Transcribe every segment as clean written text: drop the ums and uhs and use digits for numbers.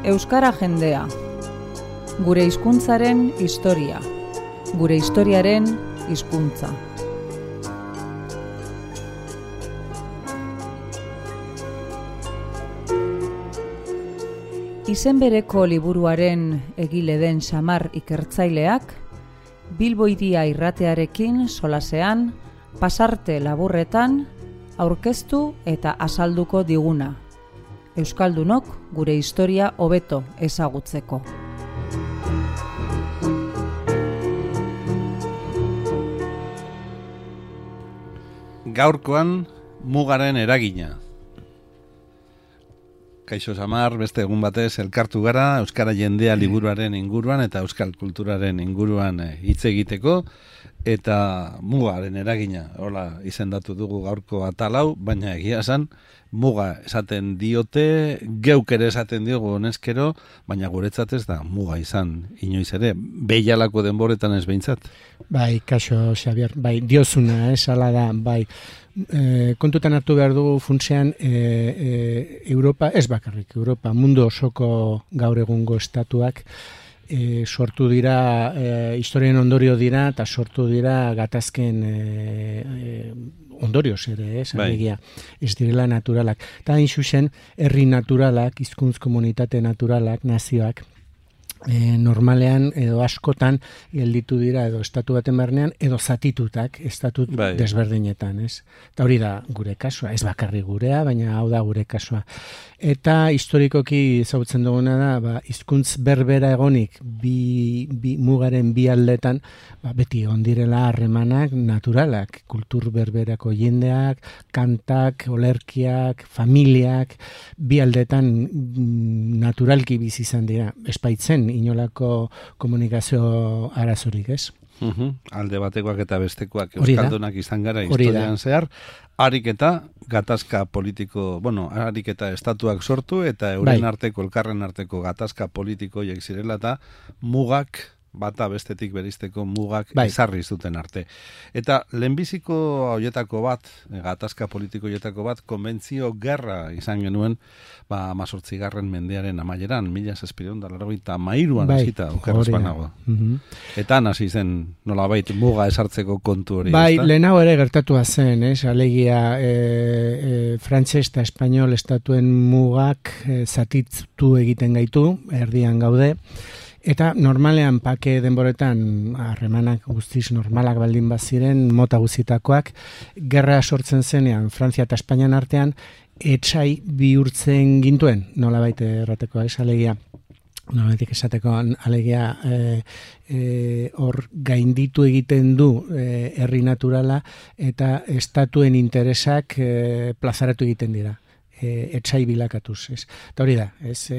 Euskara jendea. Gure hizkuntzaren historia. Gure historiaren hizkuntza. Izen bereko liburuaren egile den Samar ikertzaileak, Bilbo Hiria irratearekin solasean, pasarte laburretan, aurkeztu eta azalduko diguna. Euskaldunok gure historia hobeto ezagutzeko. Gaurkoan mugaren eragina. Kaixo Samar, beste egun batez elkartu gara Euskara jendea liburuaren inguruan eta euskal kulturaren inguruan hitz egiteko eta mugaren eragina. Hola, izendatu dugu gaurko atalau, baina egia esan muga esaten diote, geuk ere esaten diogu honezkero, baina guretzat ez da muga izan inoiz ere, behialako denboretan ez behintzat. Bai, kaixo Xabier, bai, diozuna, hala da, bai. Kontutan hartu behar dugu funtsean Europa, ez bakarrik, Europa, mundu osoko gaur egungo estatuak sortu dira, historien ondorio dira, eta sortu dira gatazken ondorioz ere, alegia, ez direla naturalak. Eta hain zuzen, herri naturalak, hizkuntz komunitate naturalak, nazioak, normalean edo askotan gelditu dira edo estatu baten barnean edo zatitutak estatut desberdinetan, ez? Eta hori da gure kasua, ez bakarri gurea, baina hau da gure kasua. Eta historikoki ezagutzen duguna da, hizkuntz berbera egonik mugaren bi aldetan, beti ondirela harremanak naturalak, kultur berberako jendeak, kantak, olerkiak, familiak, bi aldetan naturalki bizi izan dira, espaitzen inolako komunikazio arazorik, ez? Alde batekoak eta bestekoak euskaldunak izan gara historian zehar, harik eta gatazka politiko, harik eta estatuak sortu eta euren arteko, elkarren arteko gatazka politiko hiek zirela eta mugak bata bestetik berizteko mugak ezarri zuten arte. Eta lehenbiziko horietako bat, gatazka politiko horietako bat, konbentzio gerra izan genuen, 18. mendearen amaieran, 1783an hasita, okerrez banago. Eta hasi zen, nolabait, muga esartzeko kontu hori. Bai, lehenago ere gertatua zen, alegia frantses eta espainol estatuen mugak zatitu egiten gaitu, erdian gaude, eta normalean pake denboretan harremanak guztiz normalak baldin baziren, mota guztietakoak, gerra sortzen zenean Frantzia eta Espainian artean, etsai bihurtzen gintuen, nolabait errateko, alegia, nolabaitik esateko, alegia hor gainditu egiten du herri naturala eta estatuen interesak plazaratu egiten dira. Etsai bilakatuz, ez. Eta hori da, ez,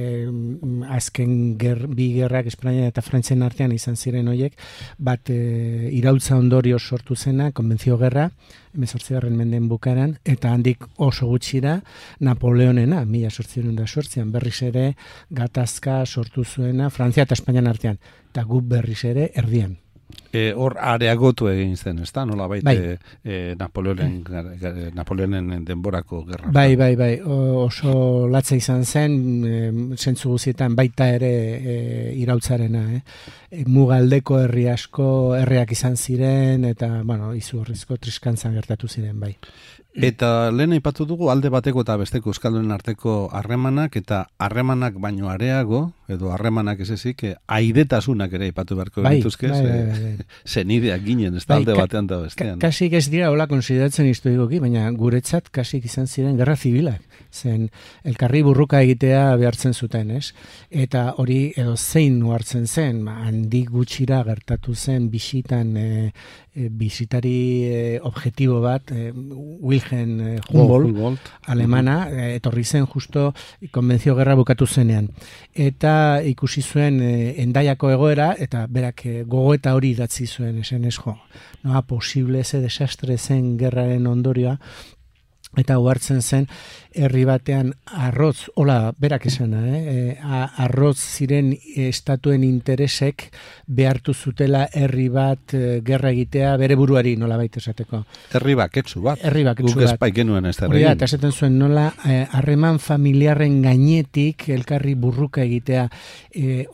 azken bi gerrak Espainia eta Frantzian artean izan ziren horiek, bat iraultza ondorio sortu zena, konbentzio gerra, 18. mendeen bukaran, eta handik oso gutxira Napoleonena, 1808an berriz ere gatazka sortu zuena Frantzia eta Espainian artean, eta gu berriz ere erdian. Hor areagotu egin zen, ez da? Nola baite Napoleonen denborako gerra. Bai, oso latza izan zen, zentzu guztietan baita ere iraultzarena. Mugaldeko herri asko herriak izan ziren, eta, izugarrizko triskantzan gertatu ziren, bai. Eta lehen aipatu dugu alde bateko eta besteko euskaldunen arteko harremanak eta harremanak baino areago, edo harremanak ez ezik, aidetasunak ere aipatu beharko genituzke, zenideak ginen, ez da alde batean da bestean. Kasik ez dira hola konsideratzen historikoki, baina guretzat kasik izan ziren gerra zibilak, zen elkarri burruka egitea behartzen zuten, ez? Eta hori edo zein hartzen zen, handik gutxira gertatu zen bisitan bisitari objektibo bat, Wilhelm Humboldt, alemana, etorri zen justo konbentzio gerra bukatu zenean. Eta ikusi zuen Hendaiako egoera, eta berak gogoeta hori idatzi zuen, esen ez posible ze desastre zen gerraren ondorioa, eta uhartzen zen herri batean arroz, hola, berak esana, arroz ziren estatuen interesek behartu zutela herri bat gerra egitea bere buruari nola baita esateko. Herri baketsu bat. Guk espai genuen ez da. Eta esaten zuen nola harreman familiarren gainetik elkarri burruka egitea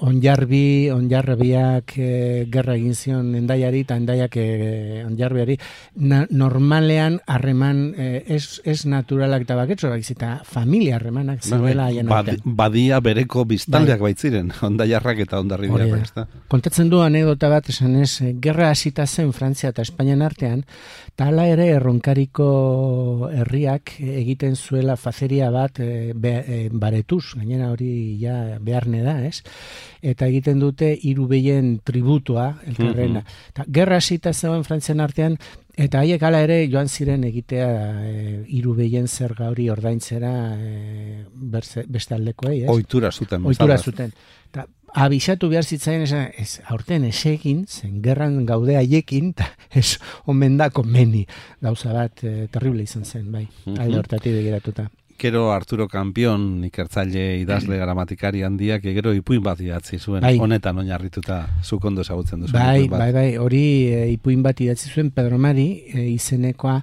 onjarbiak gerra egin zion Hendaiari eta Hendaiak onjarbiari. Normalean harreman ez naturalak eta baketsu, eta familia harremanak zirela haien artean. Badia bereko biztanleak baitziren, Ondaiarrak eta Hondarribiak. Kontatzen du anekdota bat, esan ez, gerra hasita zen Frantzia eta Espainian artean, eta hala ere Erronkariko herriak egiten zuela fazeria bat baretuz, gainera hori ja beharne da, ez? Eta egiten dute 3 behien tributua, elkarrena. Gerra hasita zegoen Frantzian artean, eta haiek hala ere joan ziren egitea 3 behien zerga hori ordaintzera beste aldekoei, ez? Ohitura zuten. Eta abisatu behar zitzaien aurten esegin, zen gerran gaude haiekin, eta ez omen da komeni gauza bat terrible izan zen, bai, alde hortatik begiratuta. Gero Arturo Campion, ikertzaile idazle gramatikari handiak, gero ipuin bat idatzi zuen, honetan oinarrituta zuk ondo ezagutzen duzu. Bai, hori ipuin bat idatzi zuen Pedro Mari izenekoa,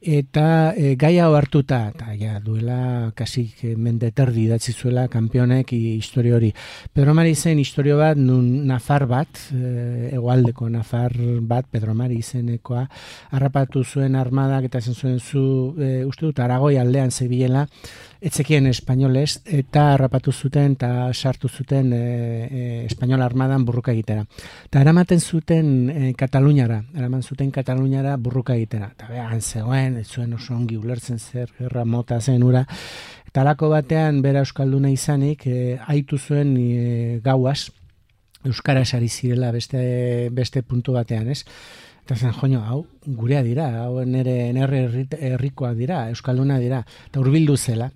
eta gaia hartuta, eta ja duela kasik mendeterdi idatzi zuela Campionek historio hori. Pedro Mari zen historio bat, nun Nafar bat, hegoaldeko Nafar bat, Pedro Mari izenekoa, harrapatu zuen armadak, eta zen zuen uste dut, Aragoi aldean zebilela, etzekien espainolez, eta harrapatu zuten, eta sartu zuten espainola armadan burruka egitera. Eta eramaten zuten Kataluniara burruka egitera. Eta behan zegoen, ez zuen oso ongi ulertzen zer, gerra mota zen ura. Eta alako batean, bera euskalduna izanik, aitu zuen gauaz, euskaraz ari zirela beste puntu batean, ez? Eta zen, joño, hau gurea dira, hau nere herrikoak dira, euskalduna dira, eta hurbildu zela.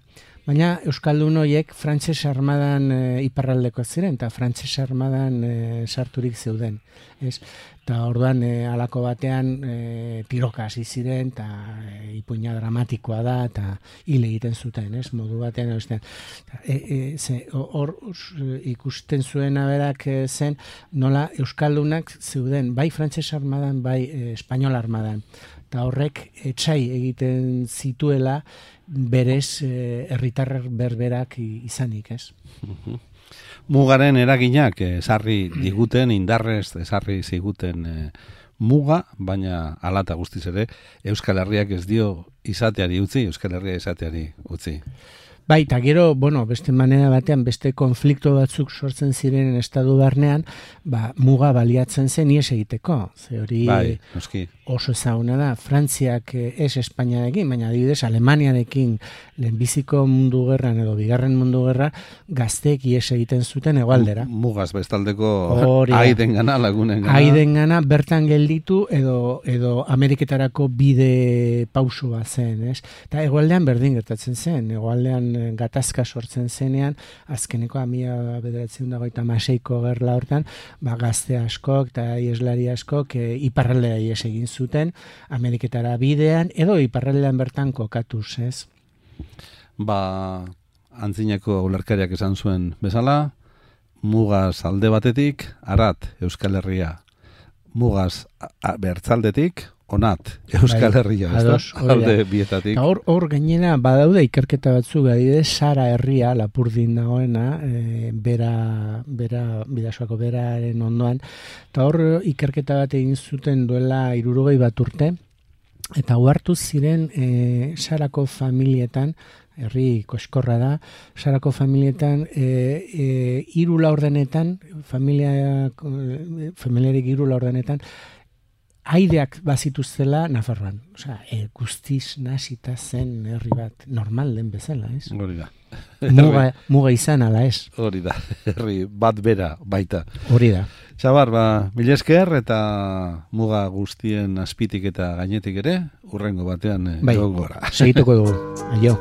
Baina euskaldun horiek frantses armadan iparraldeko ziren, eta frantses armadan sarturik zeuden. Eta orduan halako batean tiroka hasi ziren, eta ipuina dramatikoa da, eta hil egiten zuten, modu batean. Hor ikusten zuena berak zen, nola euskaldunak zeuden, bai frantses armadan, bai espainol armadan. Eta horrek etxai egiten zituela, berez herritar berberak izanik, ez? Mugaren eraginak esarri diguten, indarrez esarri ziguten muga, baina hala eta guztiz ere Euskal Herriak ez dio izateari utzi, Euskal Herria izateari utzi. Bai, eta gero, beste manera batean, beste konflikto batzuk sortzen ziren estadu barnean, muga baliatzen zen ies egiteko. Ze hori oso ezaguna da, Frantziak ez Espainiarekin, baina adibidez Alemaniarekin lehenbiziko mundu gerran edo bigarren mundu gerra gazteek ies egiten zuten hegoaldera. Mugaz bestaldeko haidengana, lagunengana. Haidengana bertan gelditu edo Ameriketarako bide pausua zen, ez? Eta hegoaldean berdin gertatzen zen, hegoaldean gatazka sortzen zenean, azkeneko 1956ko gerla hortan, gazte askok eta ieslari askok iparraldea ies egin zuten, Ameriketara bidean, edo iparraldean bertan kokatuz, ez? Antzineko ulerkariak esan zuen bezala, mugaz alde batetik, arat Euskal Herria, mugaz bertzaldetik, onat Euskal Herria, alde bietatik. Hor gainera badaude ikerketa batzuk, adibidez Sara herria Lapurdin dagoena, Bidasoako beraren ondoan, eta hor ikerketa bat egin zuten duela 60 bat urte, eta uhartu ziren Sarako familietan, herri koskorra da, Sarako familietan 3 laurdenetan, familiarik 3 laurdenetan, aideak bazituztela Nafarroan. Osea, guztiz nasita zen herri bat normal den bezala, ez? Hori da. Muga izan ala, ez? Hori da, herri bat bera baita. Hori da. Xabar, mila esker eta muga guztien azpitik eta gainetik ere, hurrengo batean gora. Segituko dugu. Aio.